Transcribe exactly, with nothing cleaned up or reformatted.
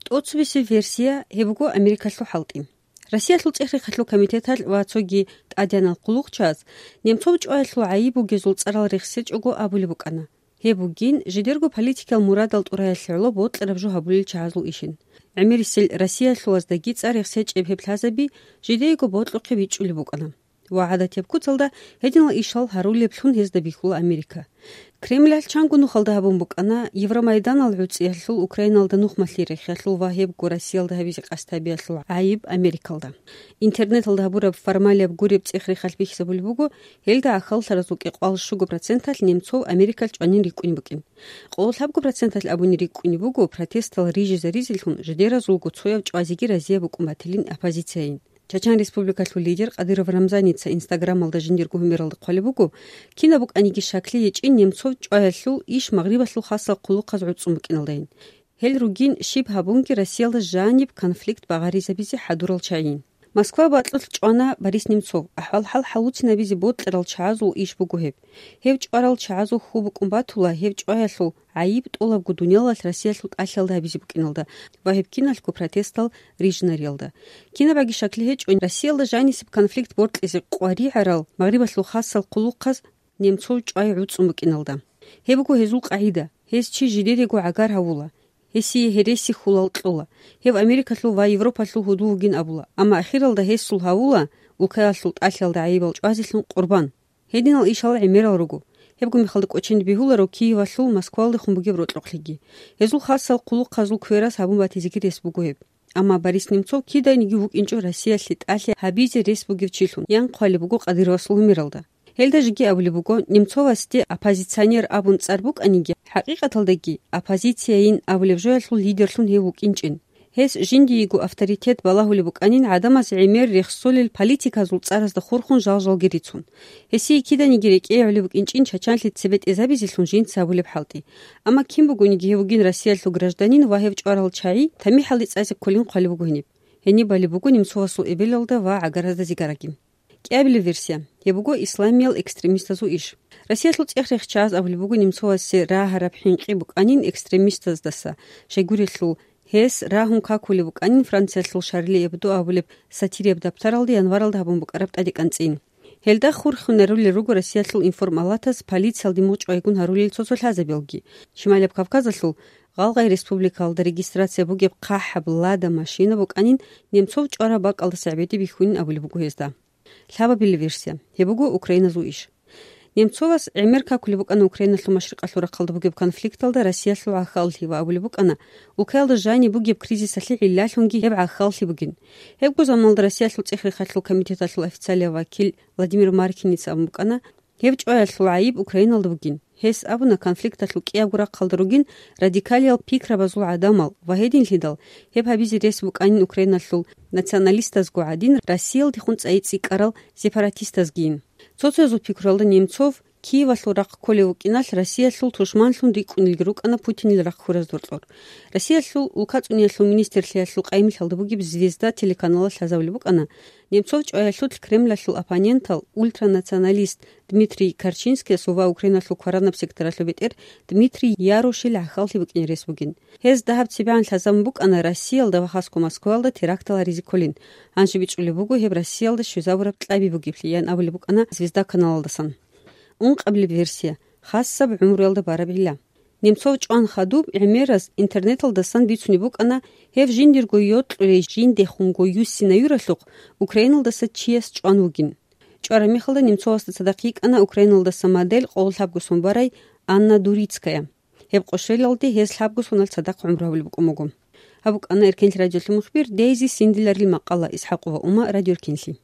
ТӀоцебесеб версия гьеб буго Америкалъул хӀалтӀи. Россиялъул цӀех-рехалъул комитеталъ ва цоги тӀадегӀанал хъулухъчияз Немцов чӀваялъул гӀайиб бугезул цӀарал рехсечӀого абулеб букӀана. Гьеб бугин жидерго политикиял мурадал тӀураялъе гӀоло бокьараб жо гьабулел чагӀазул ишин. ГӀемерисел Россиялъулаздаги цӀар рехсечӀеб гьеб лъазаби жидеего бокьухъе бичӀчӀулеб букӀана. Ва гӀадатияб куцалда гьединал ишал гьарулеблъун гьезда бихьула Америка. Кремлалъ чанго нухалда гьабун букӀана Евромайданал гӀуцӀиялъул, Украиналда нухмалъи рехиялъул ва гьебго Россиялда гьабизе къасд гьабиялъул гӀайиб Америкалда. Интернеталда гьабураб формалияб гуреб цӀех-рехалъ бихьизабулеб буго, гьелда гӀахьаллъаразул кӀикъоялда щуго проценталъ Немцов Америкалъ чӀванин рикӀкӀунеб букӀин. Къоло лъабго проценталъ абунин рикӀкӀунеб буго протестал рижизаризелъун жидеразулго цояв чӀвазеги разияб букӀун батилин оппозицияйин. Чачан Республикалъул лидер Кадыров Рамзаница Инстаграмалда жиндирго гьумералда хъвалеб буго, кинаб букӀаниги щаклъи гьечӀин Немцов чӀваялъул иш Магърибалъул хасал хъулухъаз гӀуцӀун букӀиналдайин. Гьел ругин щиб гьабунги Россиялда жаниб конфликт багъаризабизе хӀадурал чагӀийин. Москва бакьулъ чӀвана Борис Немцов, ахӀвал-хӀал хӀалуцинабизе бокьарал чагӀазул иш буго гьеб. Гьев чӀварал чагӀазул хьул букӀун батула гьев чӀваялъул гӀайиб тӀолабго дуниялалъ Россиялъул тӀалъиялда гьабизе букӀиналда ва гьеб киналъго протестал рижинариялда. Кинабаги щаклъи гьечӀо, Россиялда жанисеб конфликт бокьизе къваригӀарал Магърибалъул хасал хъулухъаз Немцов чӀвай гӀуцӀун букӀиналда. Гьеб буго гьезул къагӀида: гьез чи жидерего гӀагар гьавула, гьесие гьереси-хьулал кьола, гьев Америкалъул ва Европалъул гьудул вугин абула, амма ахиралда гьесул гьавула улкаялъул тӀалъиялда гӀайибал чӀвазелъун къурбан. Гьединал ишал гӀемерал руго. Гьебго мехалда кӀоченде бегьуларо Киевалъул Москвалдехун бугеб рокьукълъиги. Гьезул хасал хъулухъазул квераз гьабун батизеги рес буго гьеб. Амма Борис Немцов киданиги вукӀинчӀо Россиялъе тӀалъи гьабизе рес бугев чилъун, ян хъвалеб буго Кадыровасул гьумералда. Гьелда жеги абулеб буго, Немцовасде оппозиционер абун цӀар букӀаниги, хӀакъикъаталдаги оппозицияйин абулеб жоялъул лидерлъун гьев вукӀинчӀин. Гьес жиндиего авторитет балагьулеб букӀанин гӀадамаз гӀемер рехсолел политиказул цӀаразда хурхун жал-жалги рицун. Гьесие киданиги рекӀее гӀолеб букӀинчӀин Чачанлъи цебе тӀезабизелъун жинца гьабулеб хӀалтӀи. Амма кин бугониги гьев вугин Россиялъул гражданин ва гьев чӀварал чагӀи тамихӀалде цӀазе кколин хъвалеб буго гьениб. Гьениб балеб буго Немцовасул эбелалда ва гӀагаразда зигараги. КӀиабилеб версия. Гьеб буго исламиял экстремистазул иш. Россиялъул цӀех-рехчагӀаз абулеб буго Немцовасе рагьараб хӀинкъи букӀанин экстремистаздаса, щайгурелъул гьес рагьун какулеб букӀанин Франциялъул Шарли Эбдо абулеб сатирияб дабтаралда январалда гьабун букӀараб тӀадекӀанцӀин. Гьелда хурхунарулел руго Россиялъул информалатаз полициялде мугъчӀвайгун гьарулел цо-цо лъазабиялги. Шималияб Кавказалъул Гъалгъай республикалда регистрация бугеб хъахӀаб Лада машина букӀанин Немцов чӀвараб бакӀалдаса гӀебеде бихьунин абулеб буго гьезда. Лъабабилеб версия. Гьеб буго украиназул иш. Немцовас гӀемер какулеб букӀана Украиналъул машрикъалъул рахъалда бугеб конфликталда Россиялъул гӀахьаллъи ва абулеб букӀана, улкаялда жаниб бугеб кризисалъе гӀиллалъунги гьеб гӀахьаллъи бугин. Гьебго заманалда Россиялъул цӀех-рехалъул комитеталъул официалияв вакил Владимир Маркиница абун букӀана, гьеб чӀваялъул гӀайиб Украиналда бугин. Гьес абуна, конфликталъул кӀиябго рахъалда ругин радикалиял пикрабазул гӀадамал ва гьединлъидал гьеб гьабизе рес букӀанин Украиналъул националистазго гӀадин, Россиялдехун цӀайи цӀикӀкӀарал сепаратистазгийин. Цо-цоязул пикруялда Немцов Киевалъул рахъ кколев вукӀиналъ Россиялъул тушманлъун рикӀкӀунелги рукӀана Путинил рахъ хьураз доркьор. Россиялъул улкацӀуниялъул министрлъиялъул къайимлъалда бугеб «Звезда» телеканалалъ лъазабулеб букӀана, Немцов чӀваялъулъ Кремлалъул оппонентал, ультранационалист Дмитрий Корчинскиясул ва Украиналъул кваранаб секторалъул бетӀер Дмитрий Ярошил гӀахьаллъи букӀине рес бугин. Гьез дагьаб цебегӀан лъазабун букӀана Россиялда ва хасго Москваялда терактал гьаризе кколин. Гьанже бичӀчӀулеб буго гьеб Россиялда щвезабураб кьаби бугеблъи, ян абулеб букӀана «Звезда» каналалдасан. Ункъабилеб версия. Хасаб гӀумруялда бараб гӀилла. Немцов чӀван хадуб гӀемераз интернеталдасан бицунеб букӀана, гьев жиндирго йокьулей жиндехунго юссинаюралъухъ Украиналдаса чияс чӀван вугин. ЧӀвараб мехалда Немцовасда цадахъ йикӀана Украиналдаса модель къоло лъабго сон барай Анна Дурицкая. Гьеб къошелалде гьез лъабго соналъ цадахъ гӀумру гьабулеб букӀун буго. Гьаб букӀана Эркенлъи радиолъул мухбир Дейзи Синдиларил макъала. ИсхӀакъова Ума, Радио Эркенлъи.